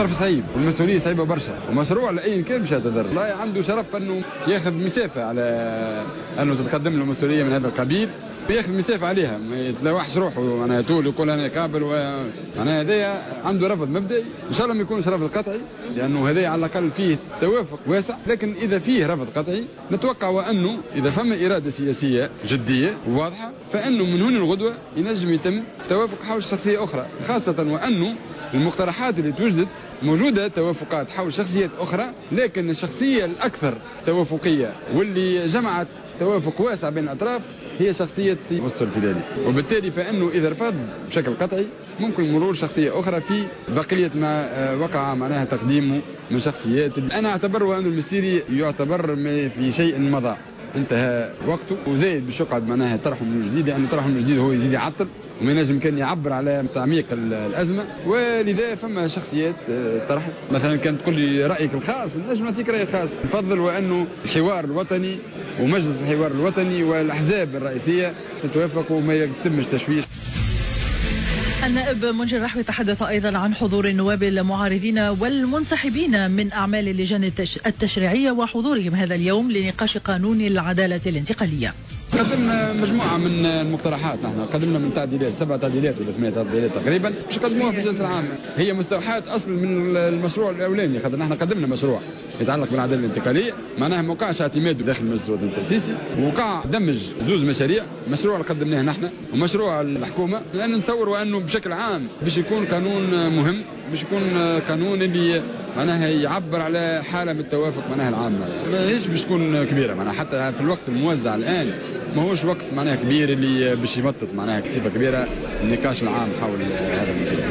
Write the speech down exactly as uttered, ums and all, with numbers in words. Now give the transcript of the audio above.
ظرف صعيب والمسؤولية صعيبة برشا، ومشروع لاي كان باش يعتذر، لا عنده شرف انه ياخذ مسافة على انه تتقدم له مسؤولية من هذا القبيل، ياخذ مسافة عليها، ما يتلوحش روحه معناها طول يقول انا قابل و... معناها هذايا عنده رفض مبدئي، ان شاء الله ما يكونش رفض قطعي لانه هذايا على الاقل فيه توافق واسع، لكن اذا فيه رفض قطعي نتوقع وانه اذا فما اراده سياسية جدية وواضحة فانه من هنا الغدوه ينجم يتم توافق حول شخصية اخرى، خاصة وانه المقترحات اللي توجدت موجودة توافقات حول شخصيات اخرى، لكن الشخصية الاكثر توافقيه واللي جمعت توافق واسع بين الاطراف هي شخصية سي مصطفى الفيلالي، وبالتالي فانه اذا رفض بشكل قطعي ممكن مرور شخصية اخرى في بقية ما وقع معناها تقديمه من شخصيات. انا اعتبر ان المستيري يعتبر في شيء مضى، انتهى وقته، وزايد باش يقعد معناها طرحه من جديد، لانه طرحه من جديد هو يزيد يعطل وما ينجم كان يعبر على تعميق الازمة، ولذا فما شخصيات طرحت. مثلا كان تقول لي رايك الخاص نجم نعطيك رايي الخاص، نفضل وانه الحوار الوطني ومجلس الحوار الوطني والاحزاب الرئيسية تتوافق وما يتمش تشويش. النائب منجي الرحوي تحدث أيضا عن حضور النواب المعارضين والمنسحبين من أعمال اللجان التشريعية وحضورهم هذا اليوم لنقاش قانون العدالة الانتقالية. قدمنا مجموعة من المقترحات، نحن قدمنا من تعديلات، سبع تعديلات ولا ثمانية تعديلات تقريبا باش نقدموها في الجلسة العامة، هي مستوحاة أصل من المشروع الأولاني، خاطر نحن قدمنا مشروع يتعلق بالعدالة الانتقالية، معناها ما وقعش اعتماده داخل المجلس الوطني التأسيسي، وقع دمج زوز مشاريع، مشروع اللي قدمناه نحن ومشروع الحكومة، لأن نتصوروا أنه بشكل عام باش يكون قانون مهم، باش يكون قانون اللي معناها يعبر على حالة من التوافق معناها العامة، ماهيش باش تكون كبيرة، معناها حتى في الوقت الموزع الآن ماهوش وقت معناها كبير اللي باش يمطط معناها بصفة كبيرة النقاش العام حول هذا المشروع.